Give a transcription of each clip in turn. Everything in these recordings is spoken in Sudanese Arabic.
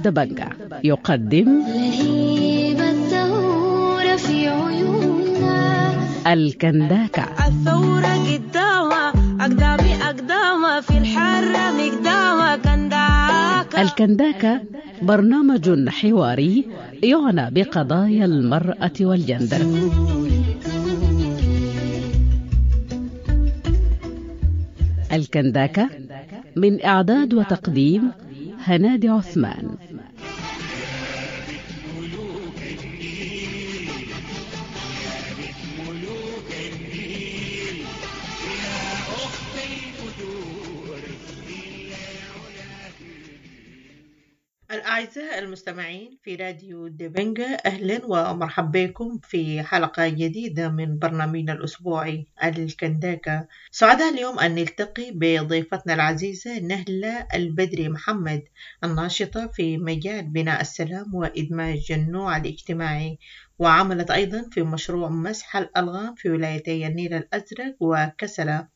دبنجة يقدم لهيب الثورة في عيوننا. الكنداكة. الثورة قدامها أقدامي أقدامها في الحرة مقدامها كنداكة. الكنداكة برنامج حواري يعنى بقضايا المرأة والجندر. الكنداكة من إعداد وتقديم هنادي عثمان. الأعزاء المستمعين في راديو دبنجة، أهلا ومرحبا بكم في حلقة جديدة من برنامجنا الأسبوعي الكنداكة. سعداء اليوم أن نلتقي بضيفتنا العزيزة نهلة البدري محمد، الناشطة في مجال بناء السلام وإدماج النوع الاجتماعي، وعملت أيضا في مشروع مسح الألغام في ولايتي النيل الأزرق وكسلا،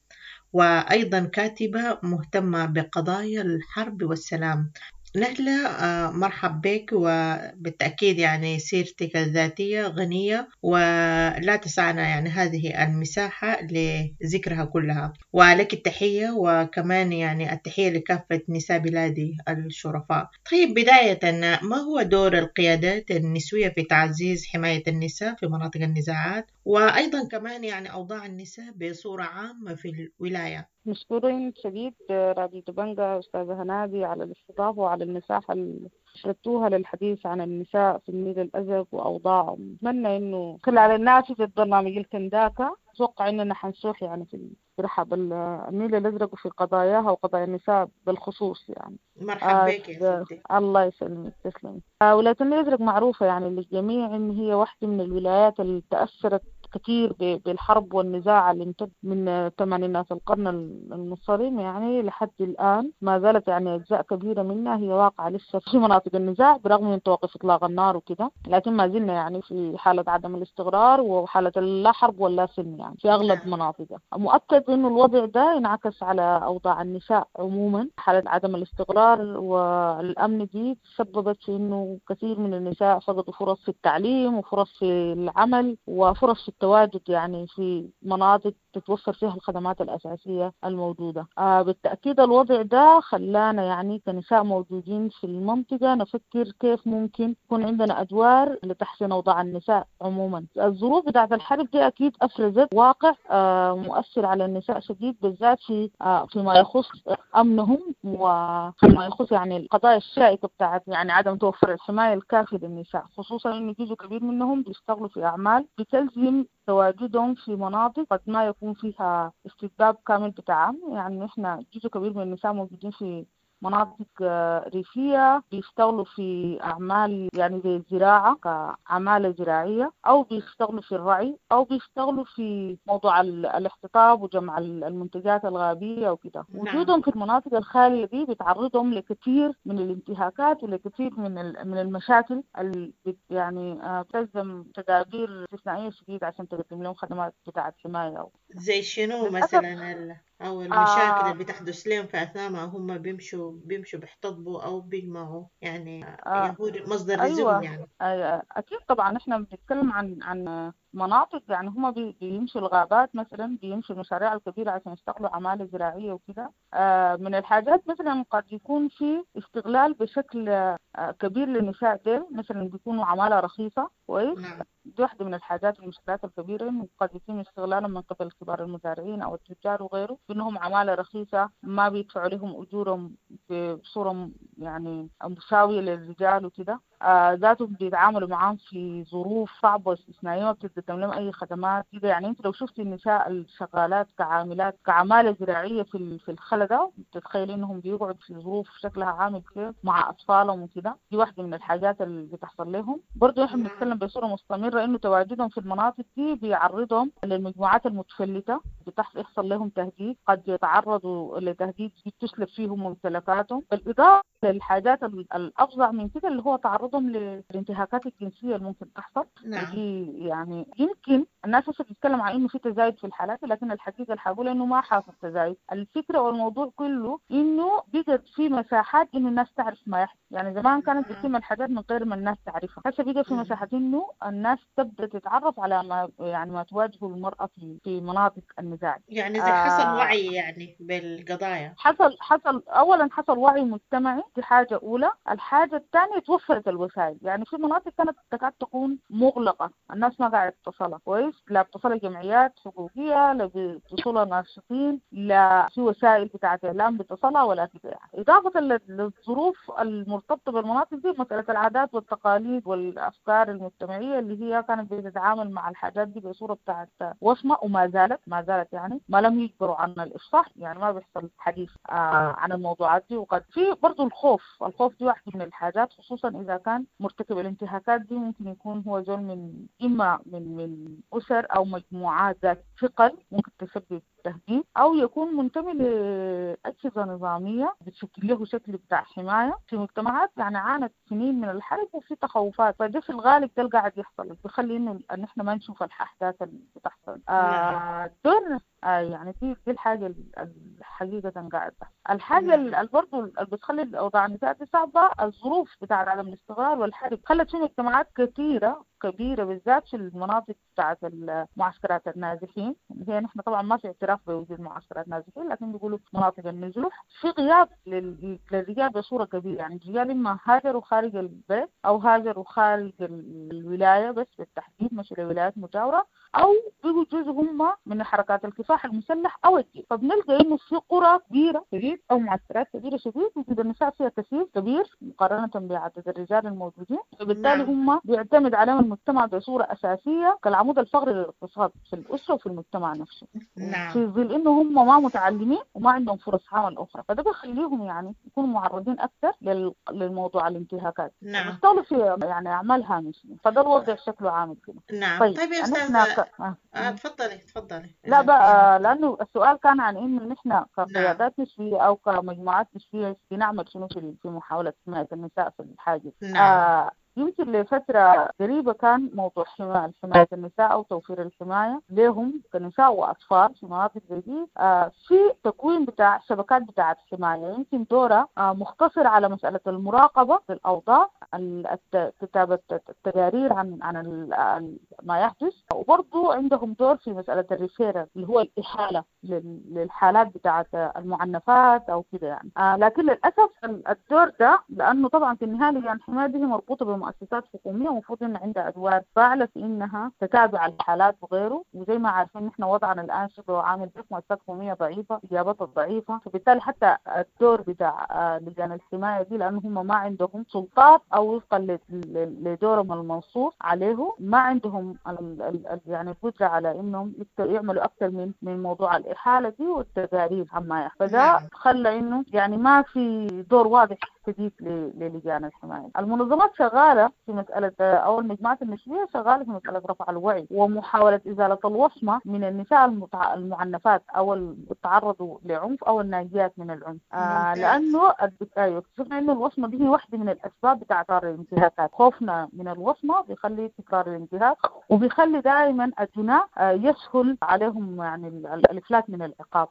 وأيضا كاتبة مهتمة بقضايا الحرب والسلام. نهلة، مرحب بك، وبالتأكيد يعني سيرتك الذاتية غنية ولا تسعنا يعني هذه المساحة لذكرها كلها، ولك التحية، وكمان يعني التحية لكافة نساء بلادي الشرفاء. طيب، بداية، ما هو دور القيادات النسوية في تعزيز حماية النساء في مناطق النزاعات، وأيضا كمان يعني أوضاع النساء بصورة عامة في الولاية؟ مشكورين شديد راديو دبنجة أستاذة هنادي على الاستضافة وعلى المساحة اللي شربتوها للحديث عن النساء في النيل الأزرق وأوضاعهم. أتمنى إنه خلال النافذة برنامج الكنداكة أتوقع إننا حنسوح يعني في رحب النيل الأزرق وفي قضاياها وقضايا النساء بالخصوص يعني. مرحبا بك يا ستي. الله يسلمك، تسلمي. ولاية النيل الأزرق معروفة يعني للجميع إن هي واحدة من الولايات اللي تأثرت كثير بالحرب والنزاع اللي امتد من ثمانينات القرن المنصرم يعني لحد الآن، ما زالت يعني أجزاء كبيرة منها هي واقعة لسه في مناطق النزاع برغم من توقف إطلاق النار وكده، لكن ما زلنا يعني في حالة عدم الاستقرار وحالة لا حرب ولا سلم يعني في أغلب مناطقها. مؤكد إنه الوضع ده انعكس على أوضاع النساء عموما. حالة عدم الاستقرار والأمن دي سببت في إنه كثير من النساء فقدوا فرص في التعليم وفرص في العمل وفرص في التواجد يعني في مناطق تتوفر فيها الخدمات الأساسية الموجودة. بالتأكيد الوضع ده خلانا يعني كنساء موجودين في المنطقة نفكر كيف ممكن يكون عندنا أدوار لتحسين أوضاع النساء عموما. الظروف بتاعت الحرب دي أكيد أفرزت واقع مؤثر على النساء شديد، بالذات في فيما يخص أمنهم وفيما يخص يعني القضايا الشائكة بتاعت يعني عدم توفر الحماية الكافية للنساء، خصوصا إنه جزء كبير منهم بيشتغلوا في أعمال بتلزم تواجدهم في مناطق قد ما يكون فيها استتباب كامل بتاعهم. يعني إحنا جزء كبير من النساء موجودين في مناطق ريفية بيشتغلوا في أعمال يعني زي الزراعة كعمالة زراعية، أو بيشتغلوا في الرعي، أو بيشتغلوا في موضوع الاحتطاب وجمع المنتجات الغابية وكده. وجودهم في المناطق الخالية دي بتعرضهم لكثير من الانتهاكات ولكثير من المشاكل اللي يعني بتلزم تدابير استثنائية شديدة عشان تقدم لهم خدمات بتاعة حماية. زي شنو مثلا أو المشاكل اللي بتحدث لهم في أثناء ما هم بيمشوا بيحتطبوا أو بيجمعوا يعني هو مصدر رزقهم يعني. أكيد طبعا إحنا بنتكلم عن مناطق يعني هم بيمشوا الغابات مثلا، بيمشوا المشاريع الكبيرة عشان يشتغلوا عمالة زراعية وكده. من الحاجات مثلا قد يكون في استغلال بشكل كبير للنساء ديل، مثلا بيكونوا عمالة رخيصة كويس. دي واحدة من الحاجات المشكلات الكبيرة إنه قد يتم استغلالهم من قبل كبار المزارعين أو التجار وغيره، بأنهم عمالة رخيصة ما بيدفعوا لهم أجورهم بصورة يعني مساوية للرجال وكده. ذاتهم بيتعاملوا معاهم في ظروف صعبة واستثنائية، ما بتقدم لهم أي خدمات كده. يعني أنت لو شفتي النساء الشغالات كعاملات كعمالة زراعية في الخلدة، بتتخيلي إنهم بيقعدوا في ظروف شكلها عامل كيف مع أطفالهم وكده. دي واحدة من الحاجات اللي بتحصل لهم. برضو إحنا بنتكلم بصورة مستمرة مصرة إنه تواجدهم في المناطق دي بيعرضهم للمجموعات المتفلتة، بيحصل لهم تهديد، قد يتعرضوا لتهديد تسلب فيهم ممتلكاتهم، بالإضافة للحاجات الأفظع من كده اللي هو تعرضهم للانتهاكات الجنسية اللي ممكن تحصل. نعم. ودي يعني يمكن الناس هسه بتتكلم عن إنه في تزايد في الحالات، لكن الحقيقة اللي حقول إنه ما حاصل تزايد. الفكرة والموضوع كله إنه بقت في مساحات إنه الناس تعرف ما يحدث. يعني زمان كانت بتتم الحاجات من غير ما الناس تعرفها، هسه بقى في مساحات إنه الناس تبدأ تتعرف على ما يعني ما تواجهه المرأة في مناطق النزاع. يعني زي حصل وعي يعني بالقضايا. حصل أولا حصل وعي مجتمعي، دي حاجة أولى. الحاجة الثانية توفرت الوسائل، يعني في مناطق كانت تكاد تكون مغلقة، الناس ما قاعدة تصلها كويس، لا بتصلها جمعيات حقوقية، لا بتصلها ناشطين، لا في وسائل بتاعت إعلام بتصلها ولا كده يعني. إضافة للظروف المرتبطة بالمناطق دي، مسألة العادات والتقاليد والأفكار المجتمعية اللي هي كانت بتتعامل مع الحاجات دي بصورة بتاعت وصمة، وما زالت ما زالت يعني ما لم يجبروا عن الإفصاح، يعني ما بيحصل حديث عن الموضوعات دي. وقد في برضو الخوف دي واحدة من الحاجات، خصوصا إذا كان مرتكب الانتهاكات دي ممكن يكون هو زول من إما من أسر أو مجموعات ذات ثقل ممكن تسبب تهديد، أو يكون منتمي لأجهزة نظامية بتشكل له شكل بتاع حماية في مجتمعات يعني عانت سنين من الحرب وفي تخوفات. فده في الغالب ده اللي قاعد يحصل، بيخلي إنه إن إحنا ما نشوف الأحداث اللي بتحصل. دور يعني دي الحاجة الحقيقة قاعد تحصل. الحاجة اللي برضه اللي بتخلي الأوضاع النساء دي صعبة، الظروف بتاع عدم الاستقرار والحرب خلت في مجتمعات كثيرة كبيرة بالذات في المناطق بتاعت معسكرات النازحين، هي نحن طبعا ما في اعتراف بوجود معسكرات نازحين، لكن بيقولوا مناطق النزوح، في غياب للرجال بصورة كبيرة. يعني الرجال إما هاجروا خارج البلد أو هاجروا خارج الولاية، بس بالتحديد مشوا لولايات مجاورة، أو بيجوا جزء هم من حركات الكفاح المسلح أو الجيش. فبنلقى إنه في قرى كبيرة شديد أو معسكرات كبيرة شديد وجود النساء فيها كثير كبير مقارنة بعدد الرجال الموجودين، فبالتالي هم بيعتمد عليهم المجتمع بصورة أساسية كالعمود الفقري للاقتصاد في الأسرة وفي المجتمع نفسه. نعم. في ظل إنه هم ما متعلمين وما عندهم فرص عمل أخرى، فده بيخليهم يعني يكونوا معرضين أكثر للموضوع الانتهاكات. نعم. بيشتغلوا في يعني أعمال هامشية، فده الوضع شكله عامل كده. نعم. طيب يا أستاذة تفضلي. لا بقى، لأنه السؤال كان عن إنه نحن كقيادات نسوية أو كمجموعات نسوية بنعمل شنو في محاولة حماية النساء في الحاجز. نعم. يمكن لفترة قريبة كان موضوع حماية النساء أو توفير الحماية لهم كنساء وأطفال في مناطق زي دي، في تكوين بتاع شبكات بتاعة حماية، يمكن دورها مختصر على مسألة المراقبة للأوضاع، كتابة التقارير عن ما يحدث، وبرضو عندهم دور في مسألة الريفيرال اللي هو الإحالة للحالات بتاعة المعنفات أو كده يعني. لكن للأسف الدور ده، لأنه طبعا في النهاية لجان الحماية دي مربوطة بمؤسسات حكومية ومفروض إن عندها أدوار فاعلة في إنها تتابع الحالات وغيره، وزي ما عارفين إحنا وضعنا الآن شبه عامل بس مؤسسات حكومية ضعيفة، إجابتها ضعيفة، فبالتالي حتى الدور بتاع لجان الحماية دي لأنه هم ما عندهم سلطات أو وفقا لدورهم المنصوص عليه ما عندهم يعني القدرة على إنهم يعملوا أكثر من موضوع الإحالة دي والتقارير عما يحدث. فده خلى إنه يعني ما في دور واضح شديد للجان الحماية. المنظمات شغالة في مسألة أو المجموعات النسوية شغالة في مسألة رفع الوعي ومحاولة إزالة الوصمة من النساء المعنفات أو اللي تعرضوا لعنف أو الناجيات من العنف. لأنه اكتشفنا إنه الوصمة دي هي واحدة من الأسباب بتاع تكرار الانتهاكات. خوفنا من الوصمة بيخلي تكرار الانتهاك، وبيخلي دائما الجناة يسهل عليهم يعني الإفلات من العقاب.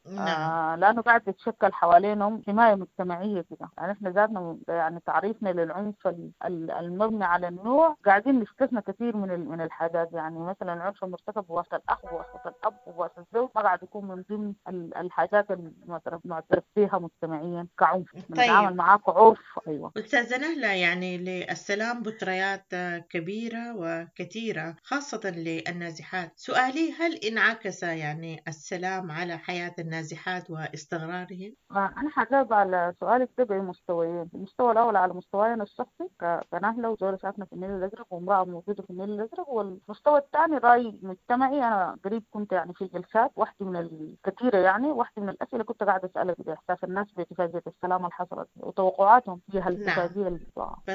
لأنه قاعد تتشكل حوالينهم حماية مجتمعية كده. يعني إحنا ذاتنا يعني تعريفنا للعنف المبني على النوع قاعدين نستثنى كثير من الحاجات. يعني مثلا العنف المرتكب بواسطة الأخ وبواسطة الأب وبواسطة الزوج ما قاعد يكون من ضمن الحاجات المعترف فيها مجتمعيا كعنف. بنتعامل معاه كعرف. أيوة. أستاذة نهلة، يعني للسلام بطريات كبيرة وكثيرة خاصة للنازحات. سؤالي، هل انعكس يعني السلام على حياة النازحات واستقرارهن؟ أنا حجاوب على سؤالك ده بمستويين. المستوى الأول على مستواي أنا الشخصي كنهلة وزولة ساكنة في النيل الأزرق وامرأة موجودة في النيل الأزرق، والمستوى الثاني رأي مجتمعي. أنا قريب كنت يعني في جلسات واحدة من الكثيرة، يعني واحدة من الأسئلة كنت قاعدة أسألها بإحساس الناس باتفاقية السلام اللي حصلت وتوقعاتهم فيها الاتفاقية.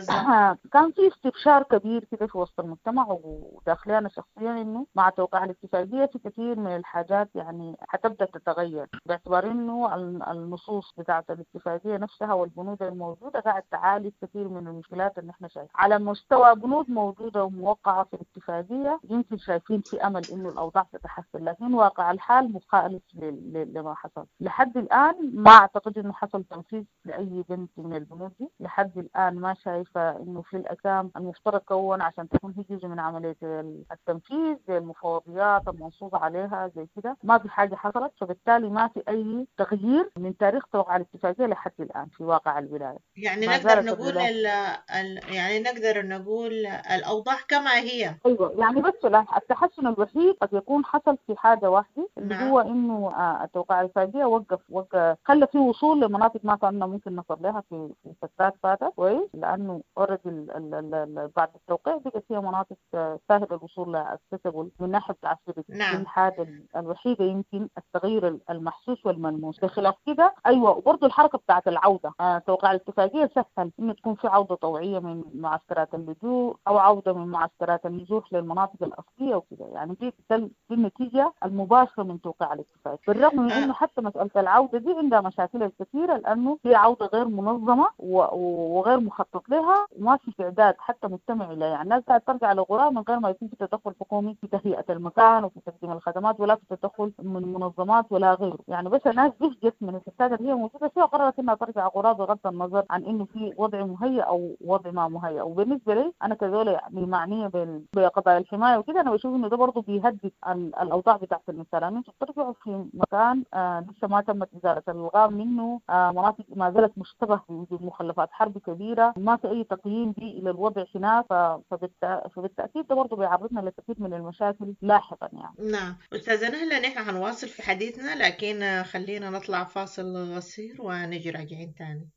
نعم. كان في استبشار كبير كده في وسط المجتمع وداخلي أنا شخصيا إنه مع توقيع الاتفاقية في كثير من الحاجات يعني حتبدأ تتغير، باعتبار إنه النصوص بتاعة الاتفاقية نفسها والبنود الموجودة قاعد تعالج كثير من المشكلات اللي احنا شايفينها. على مستوى بنود موجودة وموقعة في الاتفاقية يمكن شايفين في أمل إنه الأوضاع تتحسن، لكن واقع الحال مخالف لما حصل لحد الآن. ما أعتقد إنه حصل تنفيذ لأي بند من البنود دي لحد الآن. ما شايفة إنه في الأكام المفترض كون عشان تكون هي جزء من عملية التنفيذ زي المفوضيات المنصوص عليها زي كده، ما في حاجة حصلت. فبالتالي ما في أي تغيير من تاريخ توقيع الاتفاقية لحد الآن في واقع الولاية. يعني نقدر نقول يعني نقدر نقول الأوضاع كما هي. أيوة، يعني بس التحسن الوحيد قد يكون حصل في حاجة واحدة اللي هو إنه التوقيع الاتفاقية وقف خلى في وصول لمناطق ما كنا ممكن نصل لها في فترات فاتت، كويس، لأنه already بعد التوقيع بقت فيها مناطق سهل الوصول لها accessible من ناحية العسكرية. نعم. الحاجة الوحيدة يمكن التغيير المحسوس والملموس. بخلاف كده أيوة، وبرضه الحركة بتاعت العودة، توقيع الاتفاقية سهل إنه تكون في عودة طوعية من معسكرات اللجوء أو عودة من معسكرات النزوح للمناطق الأصلية وكده. يعني دي النتيجة المباشرة من توقيع الاتفاقية، بالرغم من إنه حتى مسألة العودة دي عندها مشاكل الكثيرة لأنه هي عودة غير منظمة وغير مخطط لها وما في استعداد حتى مجتمعي لها. يعني الناس قاعدة ترجع لقراها من غير ما يكون في تدخل حكومي في تهيئة المكان وفي تقديم الخدمات ولا في تدخل من منظمات ولا غيره. يعني بس الناس زهقت من الفساد اللي هي موجودة فيها وقررت إنها ترجع قراها بغض النظر عن إنه في وضع مهيأ أو وضع ما مهيأ. وبالنسبة لي أنا كزولة يعني معنية بقضايا الحماية وكده، أنا بشوف إنه ده برضه بيهدد الأوضاع بتاعت الإنسان. يعني أنتوا بترجعوا في مكان لسه ما تمت إزالة الألغام منه، مناطق ما زالت مشتبه بوجود مخلفات حرب كبيرة، ما في أي تقييم بيئي للوضع هناك. فبالتأكيد ده برضه بيعرضنا لكثير من المشاكل لاحقا يعني. نعم أستاذة نهلة، نحن هنواصل في حديثنا لكن خلينا نطلع فاصل قصير ونجي راجعين تاني.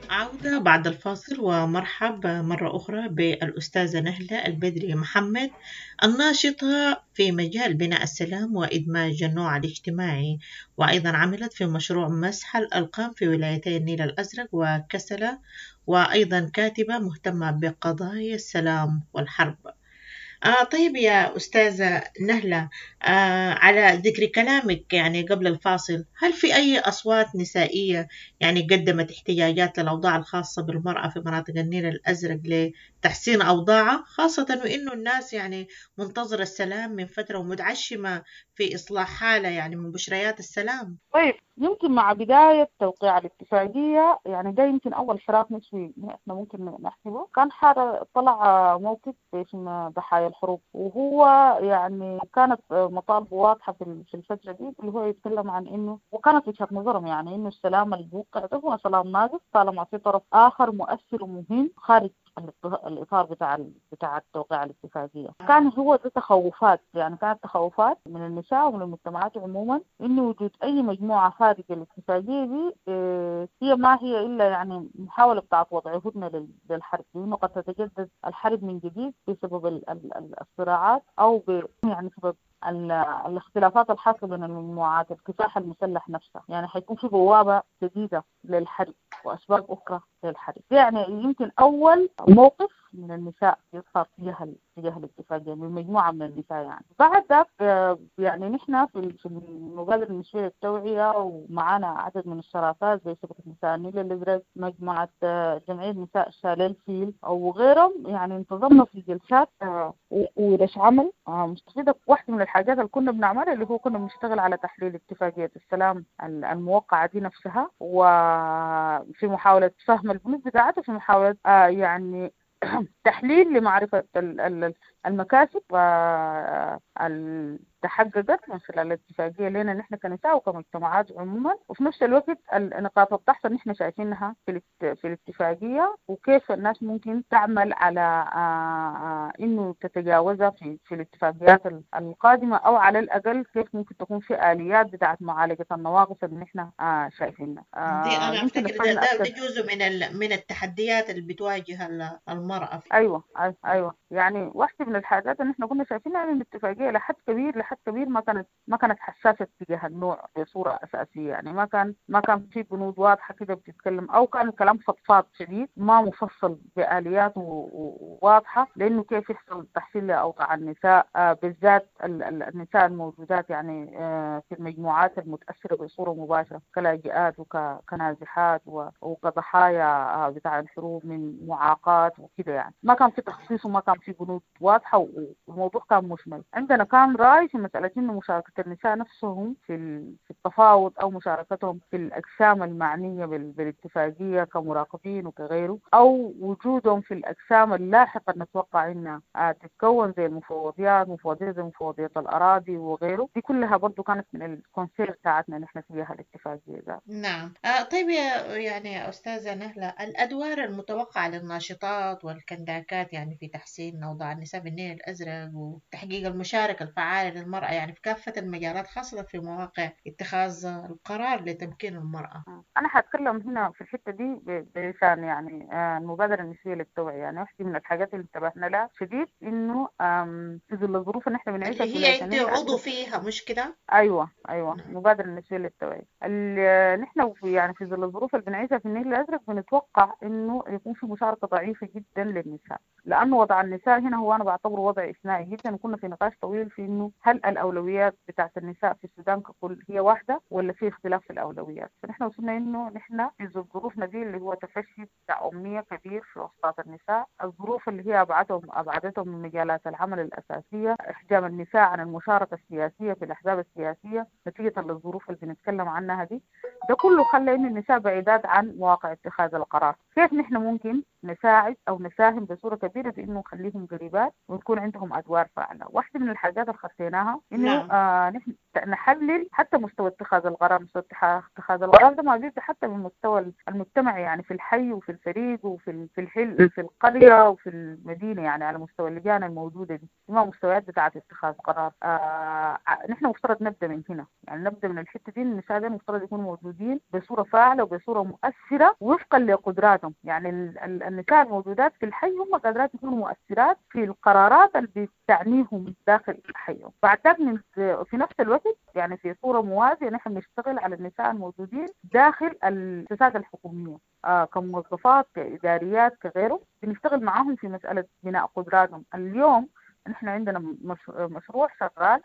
عودة بعد الفاصل، ومرحب مرة أخرى بالأستاذة نهلة البدري محمد، الناشطة في مجال بناء السلام وإدماج النوع الاجتماعي، وأيضا عملت في مشروع مسح الألقام في ولايتي النيل الأزرق وكسلة، وأيضا كاتبة مهتمة بقضايا السلام والحرب. طيب يا أستاذة نهلة، على ذكر كلامك يعني قبل الفاصل، هل في أي أصوات نسائية يعني قدمت احتجاجات للأوضاع الخاصة بالمرأة في مناطق النيل الأزرق لتحسين أوضاعها، خاصة وإنه الناس يعني منتظرة السلام من فترة ومتعشمة في إصلاح حالة يعني من بشريات السلام؟ طيب، يمكن مع بداية توقيع الاتفاقية يعني ده يمكن أول حراك نسوي إحنا ممكن نحسبه، كان طلع موقف اسمه ضحايا الحروب، وهو يعني كانت مطالبه واضحة في الفترة دي، اللي هو يتكلم عن إنه، وكانت وجهة نظرهم يعني إنه السلام اللي بوقع ده هو سلام ناقص طالما في طرف آخر مؤثر ومهم خارج الإطار بتاع التوقيع الاتفاقية. كان هو ده تخوفات، يعني كانت تخوفات من النساء ومن المجتمعات عموما إنه وجود أي مجموعة خارج الاتفاقية دي هي ما هي إلا يعني محاولة بتاعت وضع هدنة للحرب، لأنه قد تتجدد الحرب من جديد بسبب الصراعات أو يعني سبب الاختلافات الحاصلة بين المجموعات، الكفاح المسلح نفسه، يعني حيكون في بوابة جديدة للحرب وأسباب أخرى للحرب. يعني يمكن أول موقف من النساء يظهر تجاه الاتفاقية من مجموعة من النساء. يعني بعد ذاك يعني نحن في المبادرة النسوية للتوعية ومعانا عدد من الشراكات زي شبكة نساء النيل الأزرق، مجموعة جمعية نساء شاليل فيل أو غيرهم، يعني انتظمنا في جلسات وورش عمل مستفيدة. واحدة من الحاجات اللي كنا بنعملها اللي هو كنا بنشتغل على تحليل اتفاقية السلام الموقعة دي نفسها، وفي محاولة فهم البنود بتاعتها، في محاولة يعني تحليل لمعرفة المكاسب تحققت من خلال الاتفاقية لنا نحن كنساء وكمجتمعات عموما، وفي نفس الوقت نقاط الضعف اللي نحن شايفينها في الاتفاقية وكيف الناس ممكن تعمل على انه تتجاوزها في الاتفاقيات القادمة، او على الاقل كيف ممكن تكون في آليات بتاعت معالجة النواقص اللي نحن شايفينها. دي انا افتكر ده جزء من التحديات اللي بتواجه المرأة. ايوه يعني واحدة من الحاجات اللي نحن كنا شايفينها ان الاتفاقية لحد كبير ما كانت حساسة تجاه النوع بصورة أساسية، يعني ما كان في بنود واضحة كده بتتكلم، أو كان الكلام فضفاض شديد ما مفصل بآليات واضحة، لأنه كيف يحصل تحسين لأوضاع النساء، بالذات النساء الموجودات يعني في المجموعات المتأثرة بصورة مباشرة كلاجئات وكنازحات وكضحايا بتاع الحروب من معاقات وكده. يعني ما كان في تخصيص وما كان في بنود واضحة والموضوع كان مشمل. عندنا كان رأي في مسألة إنه مشاركة النساء نفسهم في التفاوض أو مشاركتهم في الأجسام المعنية بالاتفاقية كمراقبين وكغيره، أو وجودهم في الأجسام اللاحقة نتوقع إنها تتكون زي المفوضيات، مفوضية زي مفوضية الأراضي وغيره، دي كلها برضو كانت من ال concern بتاعتنا نحن فيها الاتفاقية ذات. نعم. طيب يعني يا أستاذة نهلة، الأدوار المتوقعة للناشطات والكنداكات يعني في تحسين أوضاع النساء بالنيل الأزرق وتحقيق المشاركة الفعالة للمرأة يعني في كافة المجالات، خاصة في مواقع اتخاذ القرار لتمكين المرأة. أنا هتكلم هنا في الحتة دي بلسان يعني المبادرة النسوية للتوعية. يعني واحدة من الحاجات اللي انتبهنا لها شديد إنه في ظل الظروف اللي إحنا بنعيشها اللي هي أنت عضو فيها مش كده؟ أيوة المبادرة النسوية للتوعية اللي نحن يعني في ظل الظروف اللي بنعيشها في النيل الأزرق بنتوقع إنه يكون في مشاركة ضعيفة جدا للنساء، لأنه وضع النساء هنا هو أنا بعتبره وضع إثنائي جدا. وكنا في نقاش طويل في إنه هل الأولويات بتاعت النساء في السودان ككل هي واحدة ولا في اختلاف في الأولويات؟ فنحن وصلنا إنه نحن في ظروفنا دي اللي هو تفشي بتاع أمية كبير في وسطات النساء، الظروف اللي هي أبعدتهم من مجالات العمل الأساسية، إحجام النساء عن المشاركة السياسية في الأحزاب السياسية نتيجة للظروف اللي بنتكلم عنها دي، ده كله خلى إن النساء بعيدات عن مواقع اتخاذ القرار. كيف نحن ممكن نساعد أو نساهم بصورة كبيرة في إنه نخليهم قريبات ويكون عندهم أدوار فاعلة؟ واحدة من الحاجات اللي خطيناها إنه نحن نحلل حتى مستوى اتخاذ القرار. مستوى اتخاذ القرار ده ما بيبدأ حتى من مستوى المجتمع، يعني في الحي وفي الفريق وفي الحل في القرية وفي المدينة، يعني على مستوى اللجان الموجودة دي ما مستويات بتاعة اتخاذ قرار. نحن مفترض نبدأ من هنا، يعني نبدأ من الحتة دي. النساء ده مفترض يكونوا موجودين بصورة فاعلة وبصورة مؤثرة وفقا لقدراتهم. يعني النساء الموجودات في الحي هم قادرات يكونوا مؤثرات في القرارات اللي بتعنيهم داخل حيهم. بعد ذاك في نفس الوقت يعني في صورة موازية نحن بنشتغل على النساء الموجودين داخل المؤسسات الحكومية كموظفات كإداريات كغيره، بنشتغل معاهم في مسألة بناء قدراتهم. اليوم نحن عندنا مشروع شغال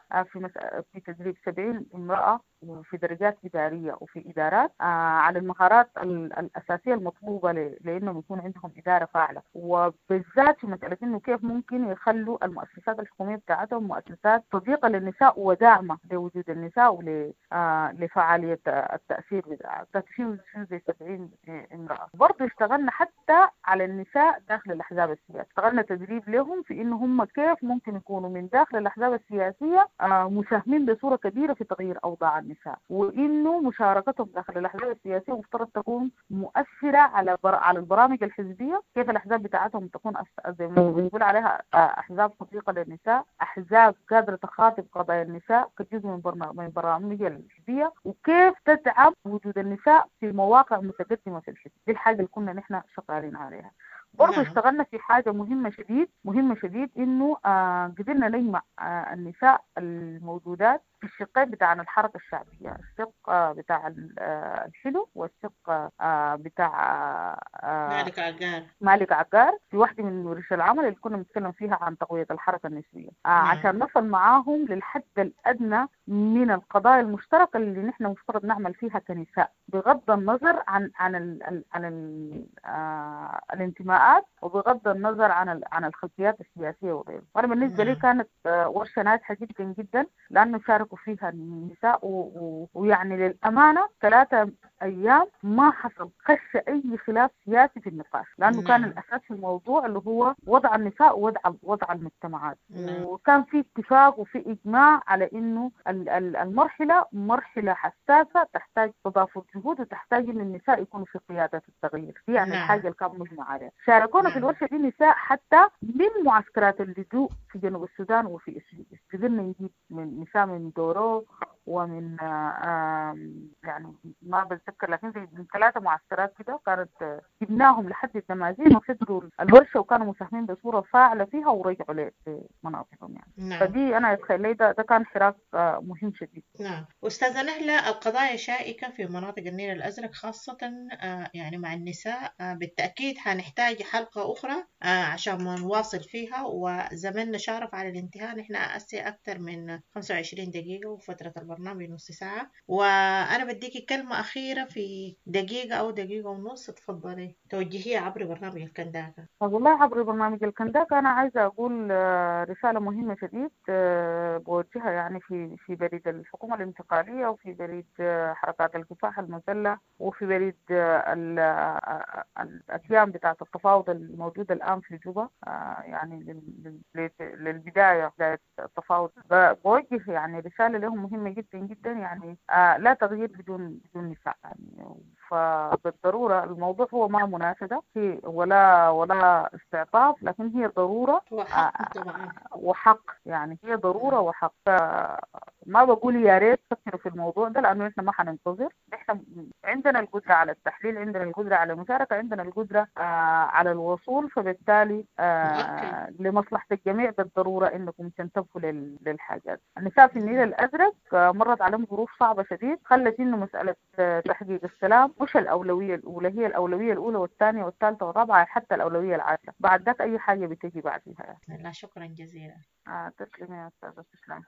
في تدريب 70 امرأة وفي درجات إدارية وفي إدارات على المهارات الأساسية المطلوبة لأنهم يكون عندهم إدارة فاعلة، وبالذات في مسألة إنه كيف ممكن يخلوا المؤسسات الحكومية بتاعتهم مؤسسات صديقة للنساء وداعمة لوجود النساء ولفعالية التأثير بتاعها. في زي 70 امرأة. برضه اشتغلنا حتى على النساء داخل الأحزاب السياسية، اشتغلنا تدريب لهم في إنه هم كيف ممكن يكونوا من داخل الأحزاب السياسية مساهمين بصورة كبيرة في تغيير أوضاع النساء. للنساء، وإنه مشاركتهم داخل الأحزاب السياسية مفترض تكون مؤثرة على البرامج الحزبية، كيف الأحزاب بتاعتهم تكون زي ما بنقول عليها أحزاب صديقة للنساء، أحزاب قادرة تخاطب قضايا النساء كجزء من برامجها الحزبية، وكيف تدعم وجود النساء في مواقع متقدمة في الحزب. دي الحاجة اللي كنا نحن شغالين عليها. برضه اشتغلنا في حاجة مهمة شديد إنه قدرنا نجمع النساء الموجودات في الشقين بتاع الحركة الشعبية، الشق بتاع الحلو والشق بتاع مالك عقار، في واحدة من ورش العمل اللي كنا بنتكلم فيها عن تقوية الحركة النسوية، عشان نصل معاهم للحد الأدنى من القضايا المشتركة اللي نحن مفترض نعمل فيها كنساء، بغض النظر عن عن ال عن ال الانتماءات وبغض النظر عن الخلفيات السياسية وغيره. وأنا بالنسبة لي كانت ورشة ناجحة جدا جدا، لأنه شاركوا فيها النساء ويعني للأمانة 3 أيام ما حصل خش أي خلاف سياسي في النقاش، لأنه كان الأساس في الموضوع اللي هو وضع النساء ووضع المجتمعات، وكان في اتفاق وفي إجماع على إنه المرحلة مرحلة حساسة تحتاج تضافر جهود وتحتاج إن النساء يكونوا في قيادة التغيير. دي يعني الحاجة اللي كان مجمع عليها. شاركونا في الورشة دي نساء حتى من معسكرات اللجوء في جنوب السودان وفي إثيوبيا، قدرنا نجيب من نساء من دورو ومن يعني ما بتذكر، لكن زي من 3 معسكرات كده كانت جبناهم لحد الدمازين وحضروا الورشة وكانوا مساهمين بصورة فاعلة فيها ورجعوا لمناطقهم يعني. فدي أنا أتخيل لي ده كان حراك مهم شديد. نعم. أستاذة نهلة، القضايا شائكة في مناطق النيل الأزرق خاصة يعني مع النساء، بالتأكيد هنحتاج حلقة أخرى عشان ما نواصل فيها، وزمننا شارف على الانتهاء. نحن أسي أكثر من 25 دقيقة وفترة البرنامج نص ساعة، وأنا بديكي كلمة أخيرة في دقيقة أو دقيقة ونص، تفضلي توجهيها عبر برنامج الكنداكة. والله عبر برنامج الكنداكة أنا عايزة أقول رسالة مهمة شديد بوجهها يعني في بريد الحكومة الانتقالية وفي بريد حركات الكفاح المسلح وفي بريد الأتيام بتاعة التفاوض الموجودة الآن في جوبا، يعني للبداية بداية التفاوض. بوجه يعني رسالة لهم مهمة جدا جدا، يعني لا تغيير بدون نساء يعني. فبالضرورة الموضوع هو ما مناشدة ولا استعطاف، لكن هي ضرورة وحق طبعا، وحق يعني هي ضرورة وحق. ما بقول يا ريت تفكروا في الموضوع ده، لأنه إحنا ما حننتظر. إحنا عندنا القدرة على التحليل، عندنا القدرة على المشاركة، عندنا القدرة على الوصول، فبالتالي لمصلحة الجميع بالضرورة إنكم تنتبهوا للحاجات. النساء في النيل الأزرق مرت عليهم ظروف صعبة شديد خلت إنه مسألة تحقيق السلام مش الأولوية الأولى، هي الأولوية الأولى والثانية والثالثة والرابعة، حتى الأولوية العاشرة. بعد ذاك أي حاجة بتجي بعدها. لا شكرا جزيلا. تسلمي يا أستاذة، تسلمي.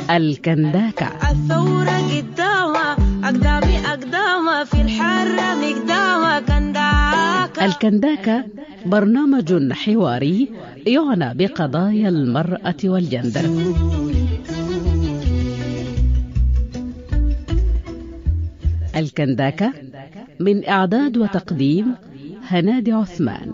الكنداكة. الثورة قدامها أقدامي أقدامها في الحرة مقدامها كنداكة. الكنداكة برنامج حواري يعنى بقضايا المرأة والجندر. الكنداكة من إعداد وتقديم هنادي عثمان.